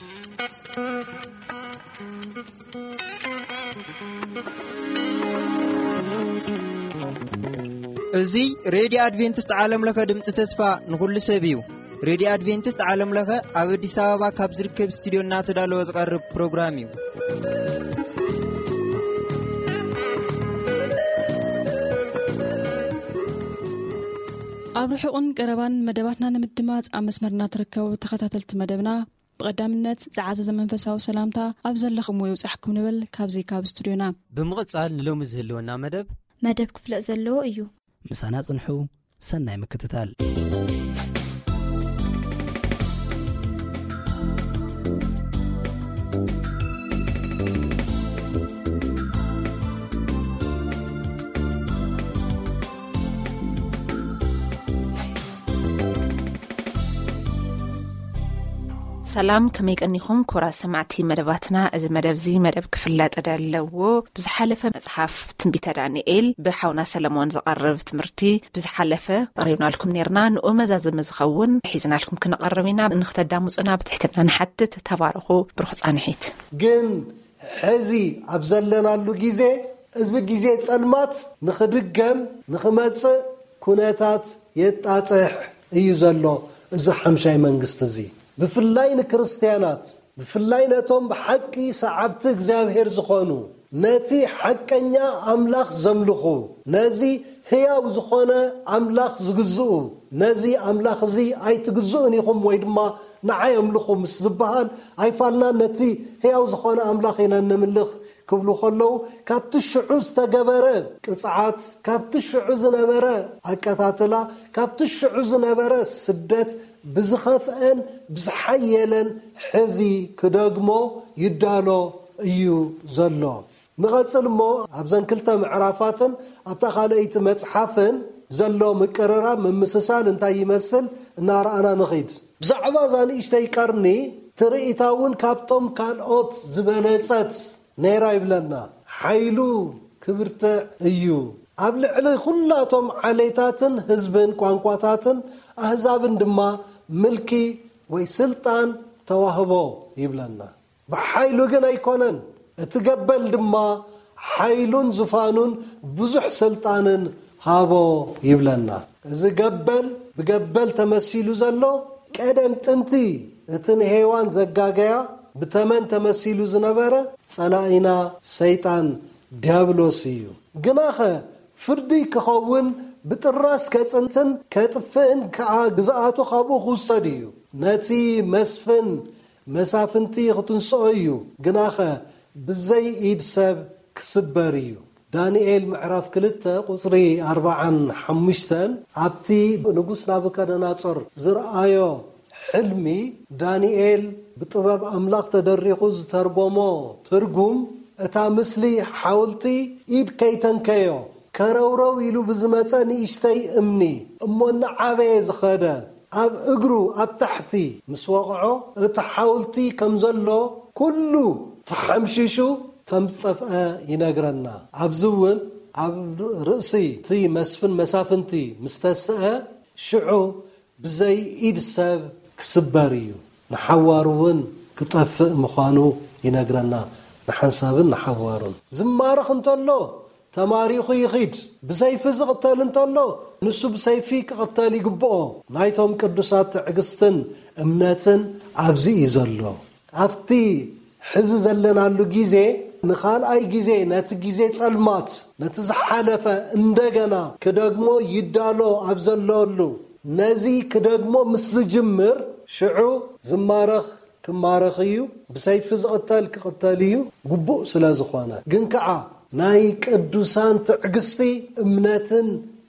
እዚ ሬድዮ ኣድቬንቲስት ዓለም ለኸ ድምፂ ተስፋ ንኹሉ ሰብ እዩ። ሬድዮ ኣድቬንቲስት ዓለም ለኸ ኣብ ኣዲስ ኣበባ ካብ ዝርከብ ስቱዲዮ እናተዳለወ ዝቐርብ ፕሮግራም እዩ። ኣብ ርሑቕን ቀረባን መደባትና ንምድማፅ ኣብ መስመርና ትርከቡ ተኸታተልቲ መደብና፣ ብቐዳምነት ዝዓዘዘ መንፈሳዊ ሰላምታ ኣብ ዘለኹምዎ ይብጻሕኩም ንብል ካብዚ ካብ ስቱድዮና። ብምቕጻል ንሎሚ ዝህልወና መደብ መደብ ክፍለጥ ዘለዎ እዩ። ምሳና ጽንሑ። ሰናይ ምክትታል። ሰላም፣ ከመይ ቀኒኹም ክቡራት ሰማዕቲ መደባትና? እዚ መደብ እዚ መደብ ክፍለጥ ዘለዎ ብዝሓለፈ መጽሓፍ ትንቢተ ዳንኤል ብሓውና ሰለሞን ዝቐርብ ትምህርቲ ብዝሓለፈ ኣቕሪብናልኩም ነርና። ንኡ መዛዘሚ ዝኸውን ሒዝናልኩም ክንቐርብ ኢና። ንክተዳምጹና ብትሕትና ንሓትት። ተባረኹ። ብሩኽ ጻንሒት። ግን ሕዚ ኣብ ዘለናሉ ግዜ እዚ ግዜ ጸልማት ንኽድገም ንኽመጽእ ኩነታት የጣጥሕ እዩ ዘሎ። እዚ ሓምሻይ መንግስቲ እዚ ብፍላይ ንክርስትያናት ብፍላይ ነቶም ብሓቂ ሰዓብቲ እግዚኣብሔር ዝኾኑ ነቲ ሓቀኛ ኣምላኽ ዘምልኹ ነዚ ህያው ዝኾነ ኣምላኽ ዝግዝኡ ነዚ ኣምላኽ እዚ ኣይትግዝኡን ኢኹም ወይ ድማ ንዓይ ኣምልኹ ምስ ዝበሃል ኣይፋልናን ነቲ ህያው ዝኾነ ኣምላኽ ኢና እነምልኽ ክብሉ ከለዉ ካብቲ ሽዑ ዝተገበረ ቅፅዓት ካብቲ ሽዑ ዝነበረ ኣቀታትላ ካብቲ ሽዑ ዝነበረ ስደት ብዝኸፍአን ብዝሓየለን ሕዚ ክደግሞ ይዳሎ እዩ ዘሎ። ንቐጽል እሞ ኣብዘን ክልተ ምዕራፋትን ኣብታ ካልኣይቲ መጽሓፍን ዘሎ ምቅርራብ ምምስሳል እንታይ ይመስል እናረኣና ንኺድ። ብዛዕባ እዛ ንእሽተይ ቀርኒ ትርኢታ እውን ካብቶም ካልኦት ዝበለጸት ነይራ ይብለና። ሓይሉ ክብርትዕ እዩ። ኣብ ልዕሊ ኩላቶም ዓሌታትን ህዝብን ቋንቋታትን ኣህዛብን ድማ ምልኪ ወይ ስልጣን ተዋህቦ ይብለና። ብሓይሉ ግን ኣይኮነን። እቲ ገበል ድማ ሓይሉን ዙፋኑን ብዙሕ ስልጣንን ሃቦ ይብለና። እዚ ገበል ብገበል ተመሲሉ ዘሎ ቀደም ጥንቲ እቲ ንሄዋን ዘጋገያ ብተመን ተመሲሉ ዝነበረ ጸላኢና ሰይጣን ዲያብሎስ እዩ። ግናኸ ፍርዲ ክኸውን ብጥራስ ከጽንትን ከጥፍእን ከኣ ግዝኣቱ ካብኡ ክውሰድ እዩ። ነቲ መስፍን መሳፍንቲ ክትንስኦ እዩ፣ ግናኸ ብዘይ ኢድ ሰብ ክስበር እዩ። ዳንኤል ምዕራፍ ክልተ ቁጽሪ ኣርባዓን ሓሙሽተን ኣብቲ ንጉስ ናቡከደናጾር ዝረኣዮ ሕልሚ ዳንኤል ብጥበብ ኣምላኽ ተደሪኹ ዝተርጎሞ ትርጉም እታ ምስሊ ሓውልቲ ኢድ ከይተንከዮ ከረውረው ኢሉ ብዝመጸ ንእሽተይ እምኒ እሞ እናዓበየ ዝኸደ ኣብ እግሩ ኣብ ታሕቲ ምስ ወቕዖ እቲ ሓውልቲ ከም ዘሎ ኩሉ ተሓምሺሹ ከም ዝጠፍአ ይነግረና። ኣብዚ እውን ኣብ ርእሲ እቲ መስፍን መሳፍንቲ ምስ ተስአ ሽዑ ብዘይ ኢድ ሰብ ክስበር እዩ፣ ንሓዋሩ እውን ክጠፍእ ምዃኑ ይነግረና። ንሓንሳብን ንሓዋሩን ዝማረኽ እንተሎ ተማሪኹ ይኺድ፣ ብሰይፊ ዝቕተል እንተሎ ንሱ ብሰይፊ ክቕተል ይግብኦ። ናይቶም ቅዱሳት ትዕግስትን እምነትን ኣብዚ እዩ ዘሎ። ኣብቲ ሕዚ ዘለናሉ ግዜ ንኻልኣይ ግዜ ነቲ ግዜ ጸልማት ነቲ ዝሓለፈ እንደገና ክደግሞ ይዳሎ ኣብ ዘለሉ ነዚ ክደግሞ ምስ ዝጅምር ሽዑ ዝማረኽ ክማረኽ እዩ፣ ብሰይፊ ዝቕተል ክቕተል እዩ፣ ግቡእ ስለ ዝኾነ። ግን ከኣ ናይ ቅዱሳን ትዕግስቲ እምነትን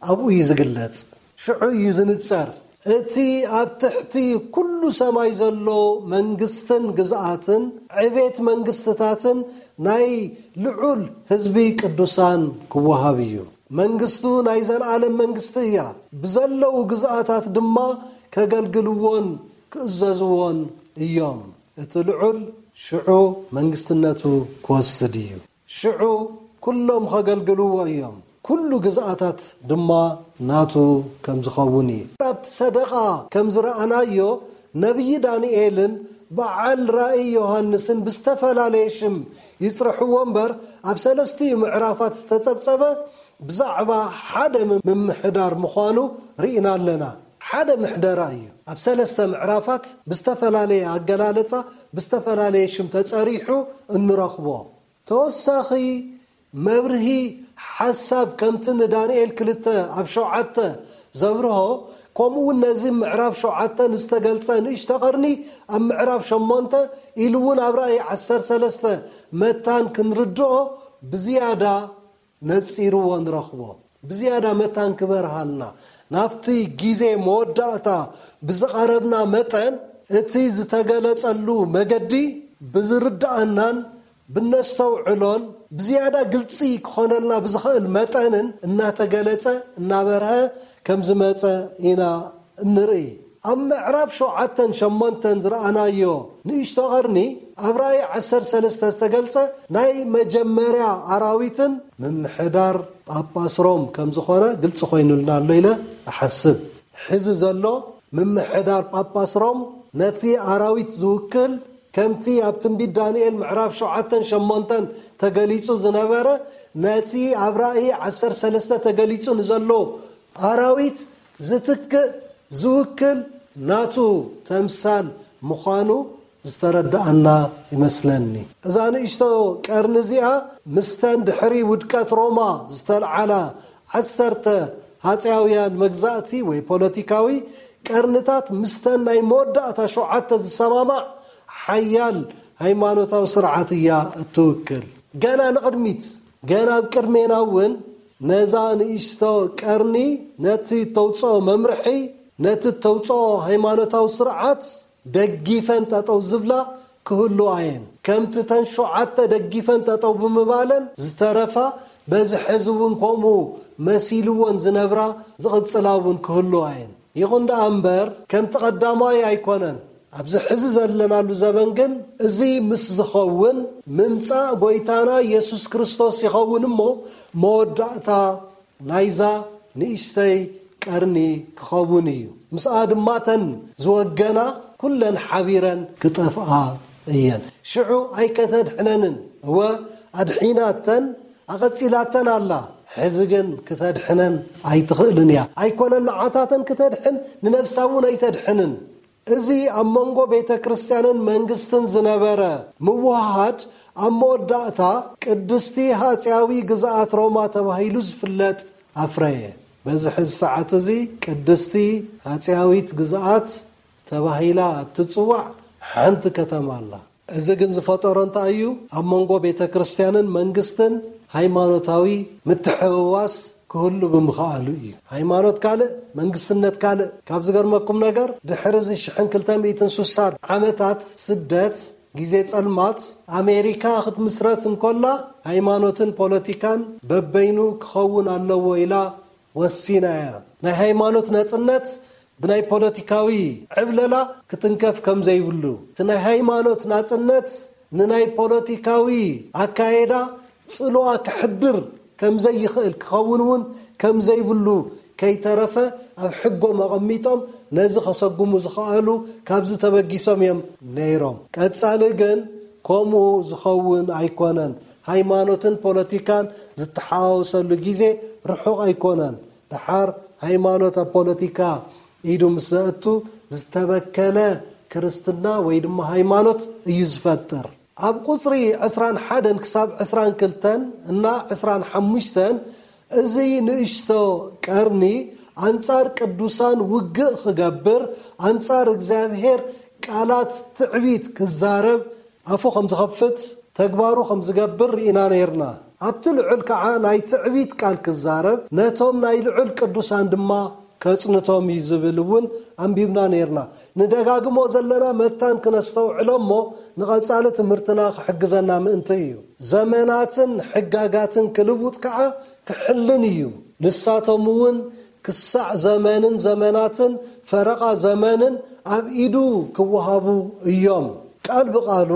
ኣብኡ እዩ ዝግለጽ። ሽዑ እዩ ዝንጸር። እቲ ኣብ ትሕቲ ኩሉ ሰማይ ዘሎ መንግስትን ግዝኣትን ዕቤት መንግስትታትን ናይ ልዑል ህዝቢ ቅዱሳን ክወሃብ እዩ። መንግስቱ ናይ ዘለኣለም መንግስቲ እያ። ብዘለዉ ግዝኣታት ድማ ከገልግልዎን ክእዘዝዎን እዮም። እቲ ልዑል ሽዑ መንግስትነቱ ክወስድ እዩ። ሽዑ ኩሎም ኸገልግልዎ እዮም፣ ኩሉ ግዝኣታት ድማ ናቱ ከም ዝኸውን እዩ። ኣብቲ ሰደቓ ከም ዝረኣናዮ ነብዪ ዳንኤልን በዓል ራእይ ዮሃንስን ብዝተፈላለየ ሽም ይጽርሕዎ እምበር፣ ኣብ ሰለስቲኡ ምዕራፋት ዝተጸብጸበ ብዛዕባ ሓደ ምምሕዳር ምዃኑ ርኢና ኣለና። ሓደ ምሕደራ እዩ። ኣብ ሰለስተ ምዕራፋት ብዝተፈላለየ ኣገላለጻ፣ ብዝተፈላለየ ሽም ተጸሪሑ እንረኽቦ። ተወሳኺ መብርሂ ሓሳብ፣ ከምቲ ንዳንኤል ክልተ ኣብ ሸውዓተ ዘብርሆ፣ ከምኡ እውን ነዚ ምዕራፍ ሸውዓተ ንዝተገልጸ ንእሽቶ ቀርኒ ኣብ ምዕራፍ ሸሞንተ ኢሉ እውን ኣብ ራእይ ዓሰርተ ሰለስተ መታን ክንርድኦ ብዝያዳ ነጺርዎ ንረኽቦ። ብዝያዳ መታን ክበርሃልና፣ ናብቲ ግዜ መወዳእታ ብዝቐረብና መጠን፣ እቲ ዝተገለጸሉ መገዲ ብዝርድኣናን ብነስተውዕሎን ብዝያዳ ግልጺ ክኾነልና ብዝኽእል መጠንን እናተገለጸ እናበርሀ ከም ዝመጸ ኢና እንርኢ። ኣብ ምዕራፍ ሸውዓተን ሸሞንተን ዝረኣናዮ ንእሽቶ ቐርኒ፣ ኣብ ራእይ ዓሰርተ ሰለስተ ዝተገልጸ ናይ መጀመርያ ኣራዊትን ምምሕዳር ጳጳስ ሮም ከም ዝኾነ ግልጺ ኮይኑልና ኣሎ ኢለ እሓስብ። ሕዚ ዘሎ ምምሕዳር ጳጳስ ሮም ነቲ ኣራዊት ዝውክል፣ ከምቲ ኣብ ትንቢት ዳንኤል ምዕራፍ ሸውዓተን ሸሞንተን ተገሊጹ ዝነበረ፣ ነቲ ኣብ ራእይ ዓሰርተ ሰለስተ ተገሊጹ ንዘሎ ኣራዊት ዝትክእ፣ ዝውክል ናቱ ተምሳል ምዃኑ ዝተረድኣና ይመስለኒ። እዛ ንእሽቶ ቀርኒ እዚኣ፣ ምስተን ድሕሪ ውድቀት ሮማ ዝተልዓላ ዓሰርተ ሃጸያውያን መግዛእቲ ወይ ፖለቲካዊ ቀርንታት፣ ምስተን ናይ መወዳእታ ሸውዓተ ዝሰማማዕ ሓያል ሃይማኖታዊ ስርዓት እያ እትውክል። ገና ንቕድሚት፣ ገና ኣብ ቅድሜና እውን ነዛ ንእሽቶ ቀርኒ፣ ነቲ እተውፅኦ መምርሒ፣ ነቲ እተውፅኦ ሃይማኖታዊ ስርዓት ደጊፈን ጠጠው ዝብላ ክህልዋ እየን። ከምቲ እተን ሸውዓተ ደጊፈን ጠጠው ብምባለን ዝተረፋ፣ በዚ ሕዚ እውን ከምኡ መሲልወን ዝነብራ ዝቕጽላ እውን ክህልዋ እየን። ይኹን ደኣ እምበር፣ ከምቲ ቀዳማይ ኣይኮነን። ኣብዚ ሕዚ ዘለናሉ ዘበን ግን፣ እዚ ምስ ዝኸውን፣ ምምጻእ ጐይታና ኢየሱስ ክርስቶስ ይኸውን እሞ፣ መወዳእታ ናይዛ ንእሽተይ ቀርኒ ክኸውን እዩ። ምስኣ ድማ እተን ዝወገና ኩለን ሓቢረን ክጠፍኣ እየን። ሽዑ ኣይከተድሕነንን። እወ፣ ኣድሒናተን፣ ኣቐጺላተን ኣላ። ሕዚ ግን ክተድሕነን ኣይትኽእልን እያ። ኣይኮነን ንዓታተን ክተድሕን፣ ንነብሳ እውን ኣይተድሕንን። እዚ ኣብ መንጎ ቤተ ክርስቲያንን መንግስትን ዝነበረ ምውህሃድ፣ ኣብ መወዳእታ ቅድስቲ ሃጽያዊ ግዝኣት ሮማ ተባሂሉ ዝፍለጥ ኣፍረየ። በዚ ሕዚ ሰዓት እዚ ቅድስቲ ሃጽያዊት ግዝኣት ተባሂላ እትጽዋዕ ሓንቲ ከተማ ኣላ። እዚ ግን ዝፈጠሮ እንታይ እዩ? ኣብ መንጎ ቤተ ክርስቲያንን መንግስትን ሃይማኖታዊ ምትሕውዋስ ክህሉ ብምኽኣሉ እዩ። ሃይማኖት ካልእ፣ መንግስትነት ካልእ። ካብ ዝገርመኩም ነገር፣ ድሕሪ እዚ ሽሕን ክልተ ሚእትን ስሳን ዓመታት ስደት፣ ግዜ ጸልማት፣ ኣሜሪካ ክትምስረት እንኮላ፣ ሃይማኖትን ፖለቲካን በበይኑ ክኸውን ኣለዎ ኢላ ወሲና እያ። ናይ ሃይማኖት ናጽነት ብናይ ፖለቲካዊ ዕብለላ ክትንከፍ ከም ዘይብሉ፣ እቲ ናይ ሃይማኖት ናጽነት ንናይ ፖለቲካዊ ኣካየዳ ጽልዋ ክሕድር ከም ዘይኽእል፣ ክኸውን እውን ከም ዘይብሉ ከይተረፈ ኣብ ሕጎም ኣቐሚጦም ነዚ ከሰጉሙ ዝኸኣሉ ካብዚ ተበጊሶም እዮም ነይሮም። ቀጻሊ ግን ከምኡ ዝኸውን ኣይኮነን። ሃይማኖትን ፖለቲካን ዝተሓዋወሰሉ ግዜ ርሑቕ ኣይኮነን። ደሓር ሃይማኖት ኣብ ፖለቲካ ኢዱ ምስ ዘእቱ፣ ዝተበከለ ክርስትና ወይ ድማ ሃይማኖት እዩ ዝፈጥር። ኣብ ቁጽሪ ዕስራን ሓደን ክሳብ ዕስራን ክልተን እና ዕስራን ሓሙሽተን፣ እዚ ንእሽቶ ቀርኒ ኣንጻር ቅዱሳን ውግእ ክገብር፣ ኣንጻር እግዚኣብሔር ቃላት ትዕቢት ክዛረብ፣ ኣፉ ከም ዝኸፍት፣ ተግባሩ ከም ዝገብር ርኢና ነይርና። ኣብቲ ልዑል ከዓ ናይ ትዕቢት ቃል ክዛረብ፣ ነቶም ናይ ልዑል ቅዱሳን ድማ ከጽንቶም እዩ ዝብል እውን ኣንቢብና ነይርና። ንደጋግሞ ዘለና መታን ክነስተውዕሎ እሞ፣ ንቐጻሊ ትምህርትና ክሕግዘና ምእንቲ እዩ። ዘመናትን ሕጋጋትን ክልውጥ ከዓ ክሕልን እዩ። ንሳቶም እውን ክሳዕ ዘመንን ዘመናትን ፈረቓ ዘመንን ኣብ ኢዱ ክወሃቡ እዮም። ቃል ብቓሉ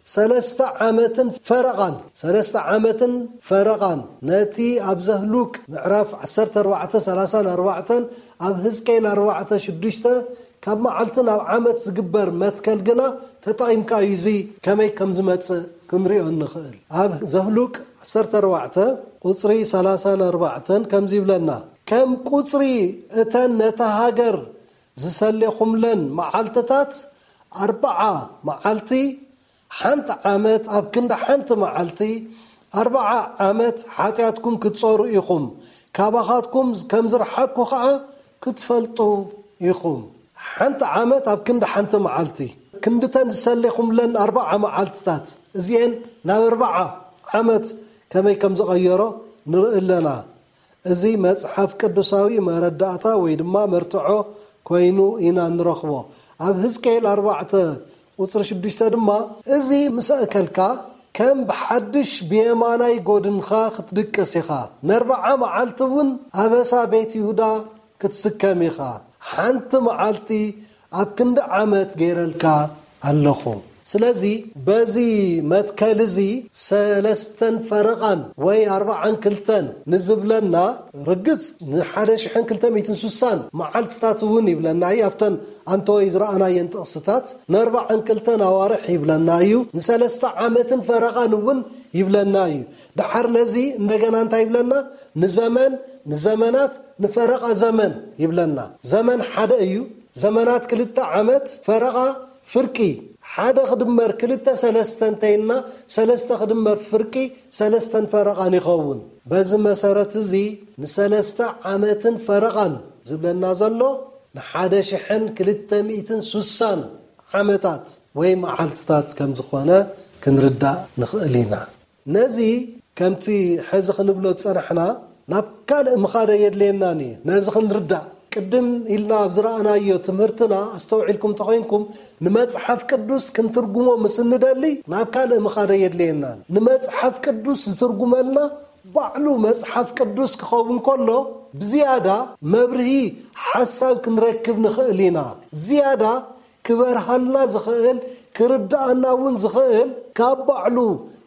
ሰለስተ ዓመትን ፈረቓን፣ ሰለስተ ዓመትን ፈረቓን፣ ነቲ ኣብ ዘህሉቅ ምዕራፍ ዓሰርተ ኣርባዕተ፣ ሰላሳን ኣርባዕተን፣ ኣብ ህዝቅኤል ኣርባዕተ ሽዱሽተ ካብ መዓልቲ ናብ ዓመት ዝግበር መትከል ግና ተጠቒምካ እዩ እዚ ከመይ ከም ዝመጽእ ክንሪኦ እንኽእል። ኣብ ዘፍሉቅ ዓሰርተ ኣርባዕተ ቁጽሪ ሰላሳን ኣርባዕተን ከምዚ ይብለና፣ ከም ቁጽሪ እተን ነታ ሃገር ዝሰሌኹምለን መዓልትታት ኣርብዓ መዓልቲ ሓንቲ ዓመት ኣብ ክንዲ ሓንቲ መዓልቲ ኣርብዓ ዓመት ሓጢኣትኩም ክትጾሩ ኢኹም፣ ካባኻትኩም ከም ዝረሓቅኩ ኸዓ ክትፈልጡ ኢኹም። ሓንቲ ዓመት ኣብ ክንዲ ሓንቲ መዓልቲ፣ ክንድተን ዝሰሌኹምለን ኣርብዓ መዓልትታት እዚኤን ናብ ኣርብዓ ዓመት ከመይ ከም ዝቐየሮ ንርኢ ኣለና። እዚ መጽሓፍ ቅዱሳዊ መረዳእታ ወይ ድማ መርትዖ ኮይኑ ኢና ንረኽቦ። ኣብ ህዝቅኤል ኣርባዕተ ቁጽሪ ሽዱሽተ ድማ፣ እዚ ምስ ኣእከልካ ከም ብሓድሽ ብየማናይ ጎድንኻ ክትድቅስ ኢኻ። ነርብዓ መዓልቲ እውን ኣበሳ ቤት ይሁዳ ክትስከም ኢኻ። ሓንቲ መዓልቲ ኣብ ክንዲ ዓመት ገይረልካ ኣለኹ። ስለዚ በዚ መትከል እዚ ሰለስተን ፈረቓን ወይ ኣርብዓን ክልተን ንዝብለና፣ ርግጽ ንሓደ ሽሕን ክልተ ሚእትን ስሳን መዓልትታት እውን ይብለና እዩ። ኣብተን ኣንተወይ ዝረኣናየን ጥቕስታት ንኣርብዓን ክልተን ኣዋርሕ ይብለና እዩ። ንሰለስተ ዓመትን ፈረቓን እውን ይብለና እዩ። ደሓር ነዚ እንደገና እንታይ ይብለና? ንዘመን፣ ንዘመናት፣ ንፈረቓ ዘመን ይብለና። ዘመን ሓደ እዩ። ዘመናት ክልተ ዓመት፣ ፈረቓ ፍርቂ። ሓደ ክድመር ክልተ ሰለስተ እንተይልና፣ ሰለስተ ክድመር ፍርቂ ሰለስተን ፈረቓን ይኸውን። በዚ መሰረት እዚ ንሰለስተ ዓመትን ፈረቓን ዝብለና ዘሎ ንሓደ ሽሕን ክልተ ሚእትን ስሳን ዓመታት ወይ መዓልትታት ከም ዝኾነ ክንርዳእ ንኽእል ኢና። ነዚ ከምቲ ሕዚ ክንብሎ ዝጸናሕና ናብ ካልእ ምኻድ ኣየድልየናን እዩ። ነዚ ክንርዳእ ቅድም ኢልና ኣብ ዝረኣናዮ ትምህርትና ኣስተውዒልኩም እንተኾይንኩም፣ ንመጽሓፍ ቅዱስ ክንትርጉሞ ምስ እንደሊ ናብ ካልእ ምኻድ ኣየድልየናን። ንመጽሓፍ ቅዱስ ዝትርጉመልና ባዕሉ መጽሓፍ ቅዱስ ክኸውን ከሎ፣ ብዝያዳ መብርሂ ሓሳብ ክንረክብ ንኽእል ኢና። ዝያዳ ክበርሃልና ዝኽእል፣ ክርድኣና እውን ዝኽእል፣ ካብ ባዕሉ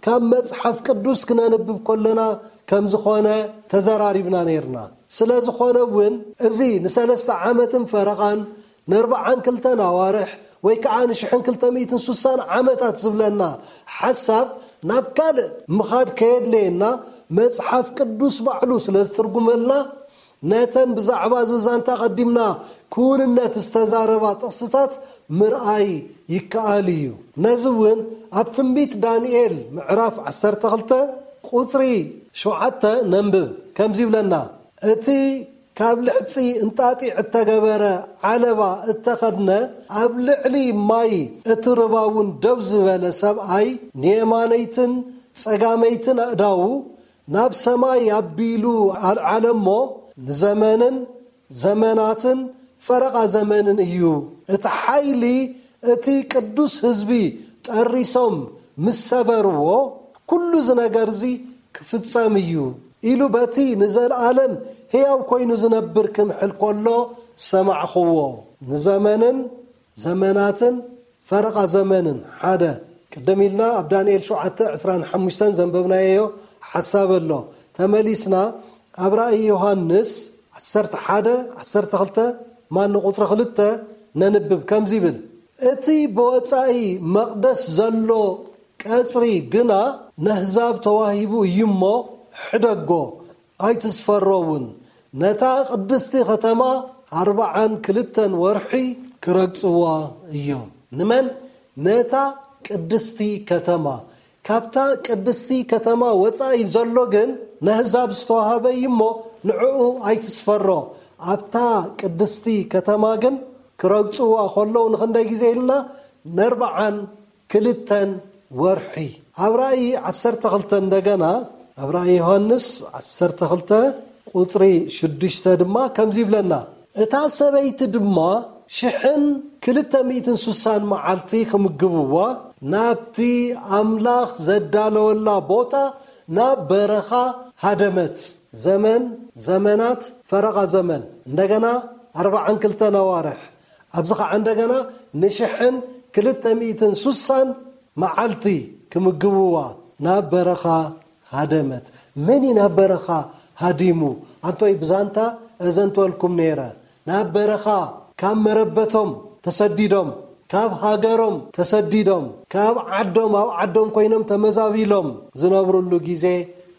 ካብ መጽሓፍ ቅዱስ ክነንብብ ከለና ከም ዝኾነ ተዘራሪብና ነይርና። ስለ ዝኾነ እውን እዚ ንሰለስተ ዓመትን ፈረቓን፣ ንኣርብዓን ክልተን ኣዋርሕ ወይ ከዓ ንሽሕን ክልተ ሚእትን ስሳን ዓመታት ዝብለና ሓሳብ ናብ ካልእ ምኻድ ከየድለየና፣ መጽሓፍ ቅዱስ ባዕሉ ስለ ዝትርጉመልና፣ ነተን ብዛዕባ እዚ ዛንታ ቀዲምና ክውንነት ዝተዛረባ ጥቕስታት ምርኣይ ይከኣል እዩ። ነዚ እውን ኣብ ትንቢት ዳንኤል ምዕራፍ ዓሰርተ ክልተ ቁጽሪ ሸውዓተ ነንብብ። ከምዚ ይብለና፣ እቲ ካብ ልሕጺ እንጣጢዕ እተገበረ ዓለባ እተኸድነ፣ ኣብ ልዕሊ ማይ እቲ ርባ እውን ደው ዝበለ ሰብኣይ፣ ንየማነይትን ጸጋመይትን ኣእዳዉ ናብ ሰማይ ኣቢሉ ኣልዓለ እሞ፣ ንዘመንን ዘመናትን ፈረቓ ዘመንን እዩ። እቲ ሓይሊ እቲ ቅዱስ ህዝቢ ጠሪሶም ምስ ሰበርዎ፣ ኩሉ እዚ ነገር እዚ ክፍጸም እዩ ኢሉ በቲ ንዘለኣለም ህያው ኮይኑ ዝነብር ክምሕል ከሎ ሰማዕኽዎ። ንዘመንን ዘመናትን ፈረቓ ዘመንን ሓደ። ቅድም ኢልና ኣብ ዳንኤል ሸውዓተ ዕስራን ሓሙሽተን ዘንበብናዮ ሓሳብ ኣሎ። ተመሊስና ኣብ ራእይ ዮሃንስ ዓሰርተ ሓደ ዓሰርተ ክልተ ማን ቁጽሪ ክልተ ነንብብ። ከምዚ ይብል፣ እቲ ብወጻኢ መቕደስ ዘሎ ቀጽሪ ግና ነህዛብ ተዋሂቡ እዩ እሞ፣ ሕደጎ፣ ኣይትስፈሮ እውን። ነታ ቅድስቲ ከተማ ኣርብዓን ክልተን ወርሒ ክረግጽዋ እዮም። ንመን? ነታ ቅድስቲ ከተማ። ካብታ ቅድስቲ ከተማ ወጻኢ ዘሎ ግን ነህዛብ ዝተዋህበ እዩ እሞ፣ ንዕኡ ኣይትስፈሮ። ኣብታ ቅድስቲ ከተማ ግን ክረግጽዋ ከለዉ ንኽንደይ ግዜ ኢልና? ነርብዓን ክልተን ወርሒ። ኣብ ራእይ ዓሰርተ ክልተ እንደገና፣ ኣብ ራእይ ዮሃንስ ዓሰርተ ክልተ ቁጽሪ ሽዱሽተ ድማ ከምዚ ይብለና፣ እታ ሰበይቲ ድማ ሽሕን ክልተ ሚእትን ስሳን መዓልቲ ክምግብዋ ናብቲ ኣምላኽ ዘዳለወላ ቦታ ናብ በረኻ ሃደመት። ዘመን፣ ዘመናት፣ ፈረቓ ዘመን። እንደገና ኣርብዓን ክልተን ኣዋርሕ። ኣብዚ ኸዓ እንደገና ንሽሕን ክልተ ሚእትን ስሳን መዓልቲ ክምግብዋ ናብ በረኻ ሃደመት። መን እዩ ናብ በረኻ ሃዲሙ? ኣንቶይ ብዛንታ እዘንትወልኩም ነይረ። ናብ በረኻ ካብ መረበቶም ተሰዲዶም፣ ካብ ሃገሮም ተሰዲዶም፣ ካብ ዓዶም፣ ኣብ ዓዶም ኮይኖም ተመዛቢሎም ዝነብሩሉ ግዜ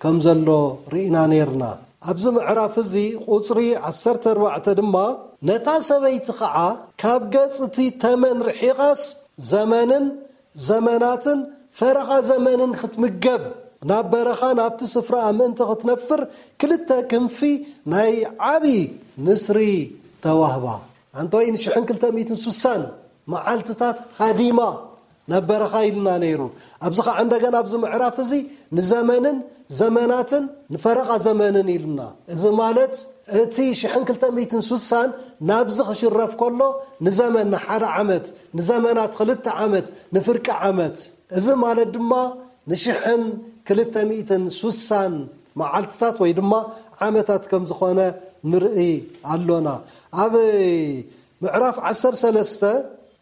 ከም ዘሎ ርኢና ነይርና። ኣብዚ ምዕራፍ እዚ ቁጽሪ ዓሰርተ ኣርባዕተ ድማ፣ ነታ ሰበይቲ ኸዓ ካብ ገጽ እቲ ተመን ርሒቓስ ዘመንን ዘመናትን ፈረቓ ዘመንን ክትምገብ ናብ በረኻ ናብቲ ስፍራ ምእንቲ ክትነፍር ክልተ ክንፊ ናይ ዓቢ ንስሪ ተዋህባ። ኣንቶይ ንሽሕን ክልተ ሚእትን ሱሳን መዓልትታት ሃዲማ ናብ በረኻ ኢልና ነይሩ። ኣብዚ ኸዓ እንደገና ኣብዚ ምዕራፍ እዚ ንዘመንን ዘመናትን ንፈረቓ ዘመንን ኢሉና። እዚ ማለት እቲ ሽሕን ክልተ ሚእትን ሱሳን ናብዚ ክሽረፍ ከሎ ንዘመን ንሓደ ዓመት፣ ንዘመናት ክልተ ዓመት፣ ንፍርቂ ዓመት። እዚ ማለት ድማ ንሽሕን ክልተ ሚእትን ሱሳን መዓልትታት ወይ ድማ ዓመታት ከም ዝኾነ ንርኢ ኣሎና። ኣብ ምዕራፍ ዓሰርተ ሰለስተ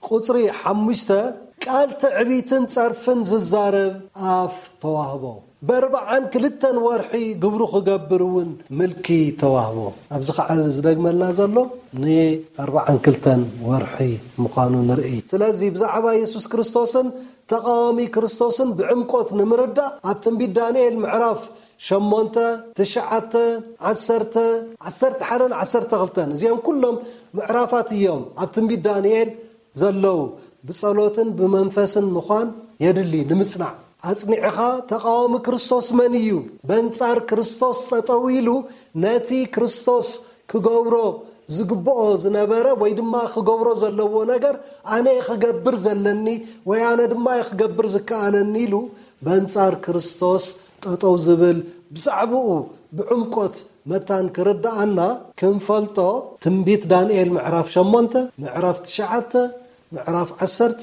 ቁጽሪ ሓሙሽተ፣ ቃል ትዕቢትን ጸርፍን ዝዛረብ ኣፍ ተዋህቦ። በርብዓን ክልተን ወርሒ ግብሩ ክገብር እውን ምልኪ ተዋህቦ። ኣብዚ ኸዓ ዝደግመልና ዘሎ ንኣርብዓን ክልተን ወርሒ ምዃኑ ንርኢ። ስለዚ ብዛዕባ የሱስ ክርስቶስን ተቓዋሚ ክርስቶስን ብዕምቆት ንምርዳእ ኣብ ትንቢት ዳንኤል ምዕራፍ ሸሞንተ፣ ትሽዓተ፣ ዓሰርተ፣ ዓሰርተ ሓደን ዓሰርተ ክልተን፣ እዚኦም ኩሎም ምዕራፋት እዮም ኣብ ትንቢት ዳንኤል ዘለዉ። ብጸሎትን ብመንፈስን ምዃን የድሊ ንምጽናዕ። ኣጽኒዕኻ ተቓዋሚ ክርስቶስ መን እዩ? በንጻር ክርስቶስ ጠጠው ኢሉ ነቲ ክርስቶስ ክገብሮ ዝግብኦ ዝነበረ ወይ ድማ ክገብሮ ዘለዎ ነገር ኣነ እየ ክገብር ዘለኒ ወይ ኣነ ድማ እየ ክገብር ዝከኣለኒ ኢሉ በንጻር ክርስቶስ ጠጠው ዝብል ብዛዕባኡ ብዕምቆት መታን ክርድኣና ክንፈልጦ ትንቢት ዳንኤል ምዕራፍ ሸሞንተ፣ ምዕራፍ ትሽዓተ፣ ምዕራፍ ዓሰርተ፣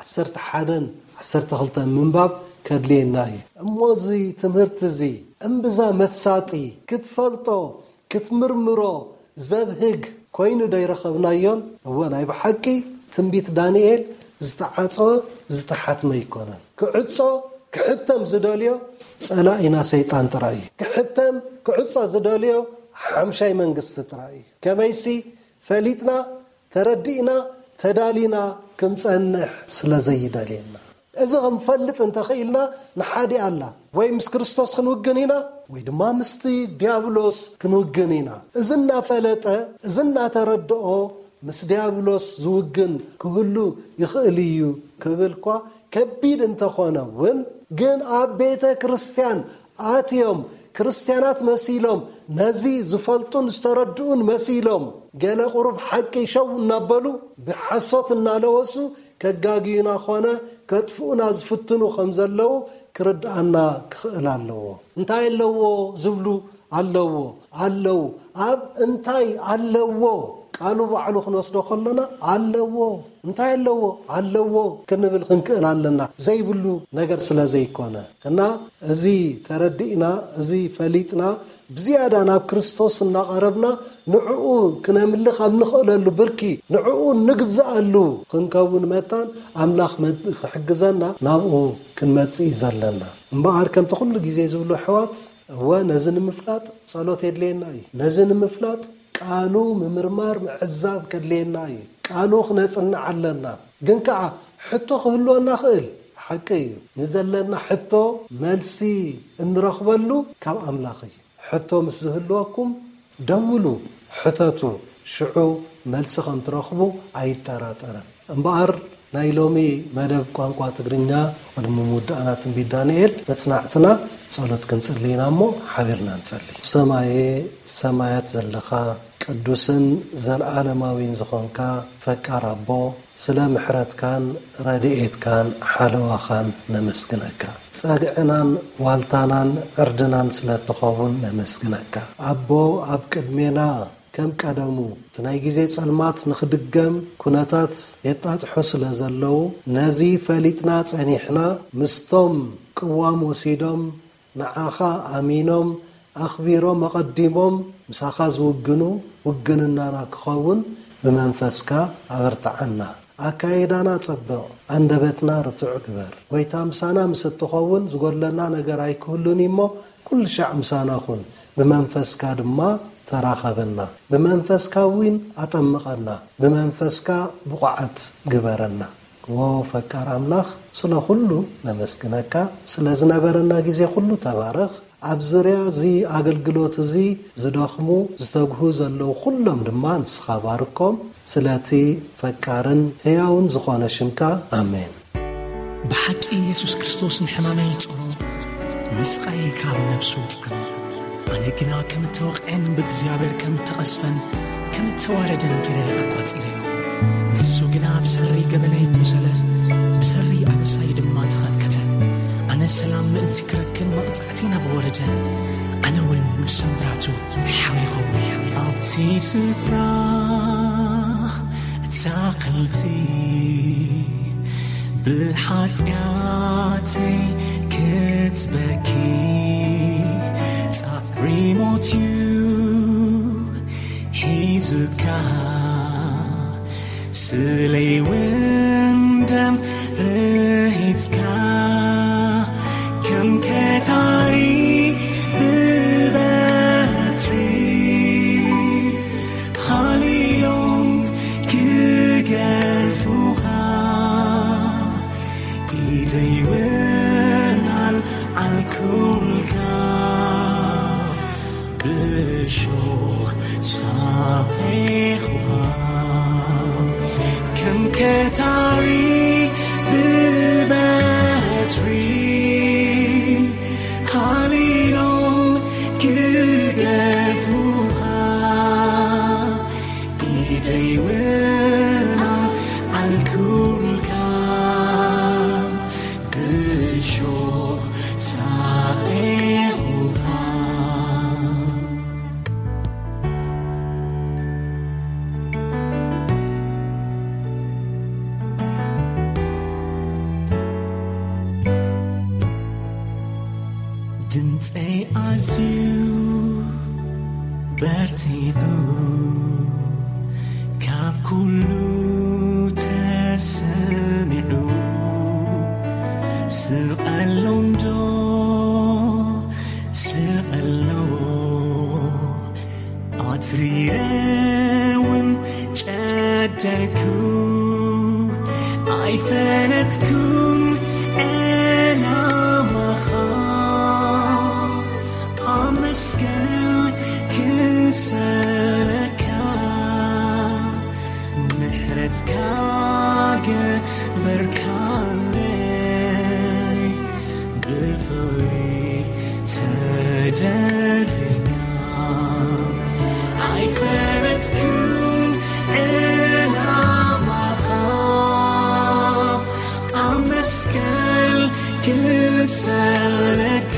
ዓሰርተ ሓደን ዓሰርተ ክልተን ምንባብ ከድልየና እዩ። እሞ እዚ ትምህርቲ እዚ እምብዛ መሳጢ ክትፈልጦ ክትምርምሮ ዘብህግ ኮይኑ ዶ ይረኸብናዮን? እወ፣ ናይ ብሓቂ ትንቢት ዳንኤል ዝተዓጸወ ዝተሓትመ ኣይኮነን። ክዕጾ ክሕተም ዝደልዮ ጸላኢና ሰይጣን ጥራይ እዩ። ክሕተም ክዕጾ ዝደልዮ ሓምሻይ መንግስቲ ጥራይ እዩ። ከመይሲ ፈሊጥና ተረዲእና ተዳሊና ክንጸንሕ ስለ ዘይደልየና። እዚ ክንፈልጥ እንተኽኢልና ንሓዲ ኣላ ወይ ምስ ክርስቶስ ክንውግን ኢና ወይ ድማ ምስቲ ዲያብሎስ ክንውግን ኢና። እዚ እናፈለጠ እዚ እናተረድኦ ምስ ዲያብሎስ ዝውግን ክህሉ ይኽእል እዩ ክብል እኳ ከቢድ እንተኾነ እውን ግን ኣብ ቤተ ክርስቲያን ኣትዮም ክርስትያናት መሲሎም ነዚ ዝፈልጡን ዝተረድኡን መሲሎም ገለ ቁሩብ ሓቂ ሸው እናበሉ ብሓሶት እናለወሱ ከጋግዩና ኾነ ከጥፍኡና ዝፍትኑ ከም ዘለዉ ክርድኣና ክኽእል ኣለዎ። እንታይ ኣለዎ ዝብሉ ኣለዎ ኣለዉ ኣብ እንታይ ኣለዎ ቃሉ ባዕሉ ክንወስዶ ከሎና ኣለዎ እንታይ ኣለዎ ኣለዎ ክንብል ክንክእል ኣለና። ዘይብሉ ነገር ስለ ዘይኮነ እና እዚ ተረዲእና እዚ ፈሊጥና ብዝያዳ ናብ ክርስቶስ እናቐረብና ንዕኡ ክነምልኽ ኣብ ንኽእለሉ ብርኪ ንዕኡ ንግዛኣሉ ክንከውን መታን ኣምላኽ ክሕግዘና ናብኡ ክንመጽእ እዩ ዘለና። እምበኣር ከምቲ ኩሉ ግዜ ዝብሉ ኣሕዋት እወ ነዚ ንምፍላጥ ጸሎት የድልየና እዩ። ነዚ ንምፍላጥ ቃሉ ምምርማር ምዕዛብ ከድልየና እዩ። ቃሉ ክነጽንዕ ኣለና። ግን ከኣ ሕቶ ክህልወና ክእል ሓቂ እዩ። ንዘለና ሕቶ መልሲ እንረኽበሉ ካብ ኣምላኽ እዩ። ሕቶ ምስ ዝህልወኩም ደውሉ፣ ሕተቱ፣ ሽዑ መልሲ ከም ትረኽቡ ኣይጠራጠርን። እምበኣር ናይ ሎሚ መደብ ቋንቋ ትግርኛ ቅድሚ ምውዳእና ትንቢት ዳንኤል መጽናዕትና ጸሎት ክንጽሊ ኢና እሞ ሓቢርና ንጸሊ። ሰማየ ሰማያት ዘለኻ ቅዱስን ዘለዓለማዊን ዝኾንካ ፈቃር ኣቦ ስለ ምሕረትካን ረድኤትካን ሓለዋኻን ነመስግነካ። ጸግዕናን ዋልታናን ዕርድናን ስለ እትኸውን ነመስግነካ። ኣቦ ኣብ ቅድሜና ከም ቀደሙ እቲ ናይ ግዜ ጸልማት ንኽድገም ኩነታት የጣጥሑ ስለ ዘለዉ ነዚ ፈሊጥና ጸኒሕና ምስቶም ቅዋም ወሲዶም ንዓኻ ኣሚኖም ኣኽቢሮም ኣቐዲሞም ምሳኻ ዝውግኑ ውግንናና ክኸውን ብመንፈስካ ኣበርትዓና። ኣካይዳና ጸብቕ፣ ኣንደበትና ርቱዕ ግበር። ጐይታ ምሳና ምስ እትኸውን ዝጎድለና ነገር ኣይክህሉን እዩ እሞ ኩሉ ሻዕ ምሳና ኩን። ብመንፈስካ ድማ ተራኸበና፣ ብመንፈስካ እውን ኣጠምቐና፣ ብመንፈስካ ብቑዓት ግበረና። ዎ ፈቃር ኣምላኽ፣ ስለ ኩሉ ነመስግነካ፣ ስለ ዝነበረና ግዜ ኩሉ ተባረኽ። ኣብ ዝርያ እዚ ኣገልግሎት እዚ ዝደኽሙ፣ ዝተግሁ ዘለዉ ኩሎም ድማ ንስኻ ባርኮም። ስለቲ ፈቃርን ህያውን ዝኾነ ሽምካ፣ ኣሜን። ብሓቂ የሱስ ክርስቶስ ንሕማመይ ይጾሮ፣ ንስቓየይ ካብ ነብሱ ጻነ። ኣነ ግና ከም እተወቕዐን ብእግዚኣብሔር ከም እተቐስፈን ከም እተዋረደን ገይረ ኣቋጺረዮ። ንሱ ግና ብሰሪ ገበነይ ቆሰለ፣ ብሰሪ ኣበሳይ ድማ ተኸትከተ። ኣነ ሰላም ምእንቲ ክረክብ መቕጻዕቲ ናብ ወረደ፣ ኣነ እውን ብስምብራቱ ሓዊኹ። ኣብቲ ስፍራ ኣታኽልቲ ብሓጢኣተይ ክትበኪ ጻዕሪ ሞት እዩ ሒዙካ። ስለይ እውን ደም ርሂጽካ ከም ከታሪ ብበትሪ ሃሊሎም ክገርፉኻ ኢደይ እውን ኣልዓልኩልካ። ብሾኽ ሳሒኹኻ ከም ከታሪ ብበትሪ ሃሊሎም ክገርፉኻ ኢደይ እውን ኣልዓልኩልካ። ብሾኽ ሳሒኹኻ። ድምፀይ ኣዝዩ በርቲዑ ካብ ኩሉ ተሰሚዑ። ስቐሎ እንዶ ስቐሎ ኣትሪረ እውን ጨደርኩ። ኣይፈለጥኩን ዕላማኻ ኣብ መስቀል ክሰለካ ምሕረትካ ገበርካለይ ብፍቕሪ ተደሪኽካ። ኣይፈለጥኩን ዕላማኻ ኣብ መስቀል ክሰለካ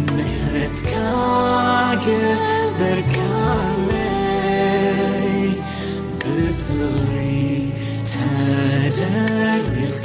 ምሕረትካ ገበርካለይ ብፍቕሪ ተደሪኽካ።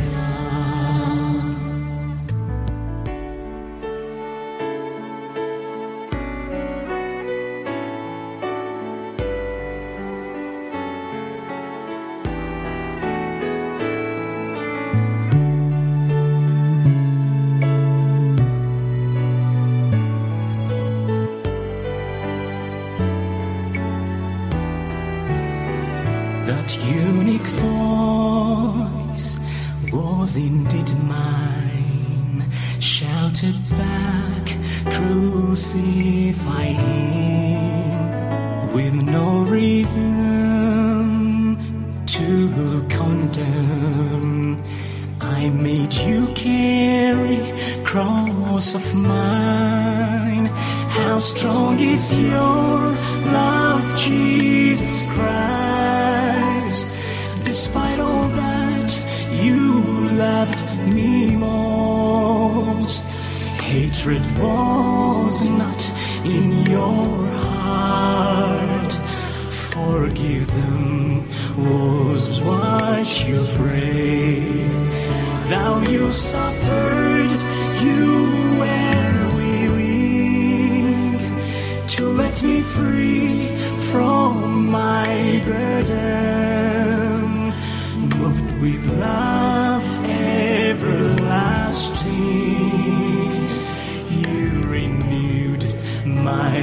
That unique voice was indeed mine, shouted back, "Crucify him," with no reason to condemn. I made you carry cross of mine. How strong is your love, Jesus Christ. Despite all that, you loved me most. Hatred was not in your heart. Forgive them was what you prayed. Thou you suffered, you were willing to let me free from my burden. Moved with love everlasting, you renewed my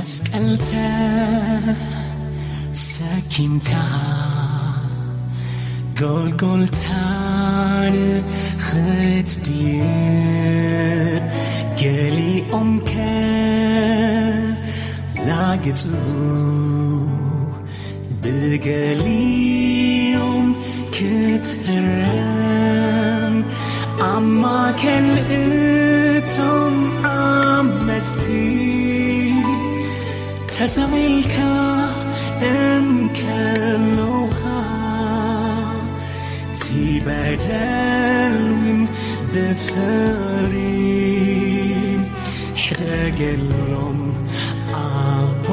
መስቀልተ ሰኪምካ ጎልጎልታን ክትድይብ ገሊኦም ከላግጹ ብገሊኦም ክትህረም ኣብ ማእከል እቶም ዓመጽቲ ተሰቒልካ እንከለኻ እቲ በደል እውን ብፍቕሪ ሕደገሎም ኣቦ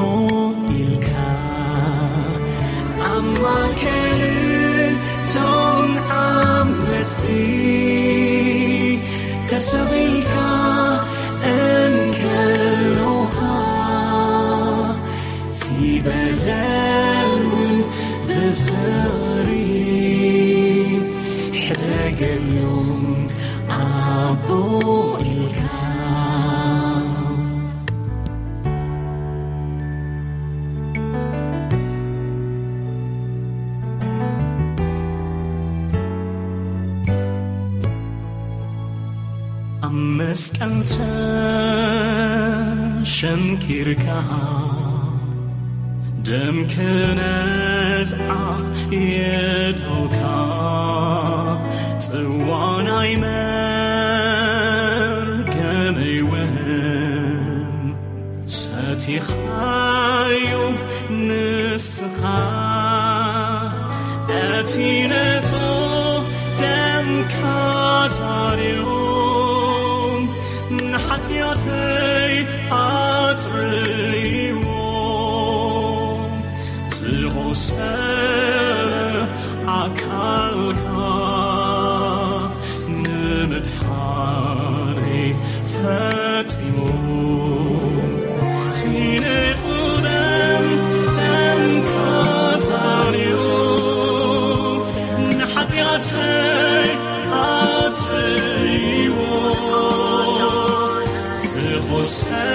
ኢልካ ኣብ ማእከል እቶም ዓመጽቲ ተሰቒልካ እንከለኻ እቲ በደል እውን ብፍቕሪ ሕደገሎም ኣቦ ኢልካ። ኣብ መስቀል ተሸንኪርካ ደም ክነዝዓ የድኦካ ጽዋ ናይ መርገመይ እውን ሰቲኻዮ ንስኻ እቲ ንጹህ ደምካ ዛርዮ ንሓጢኣተይ ኣጽርይዎ ዝቖሰለ ኣካልካ ንምድሓነይ ፈጺሙ እቲ ንጹህ ደም ደምካ ዛርዮ ንሓጢኣተይ ኣጽርይዎ ዝቖሰለ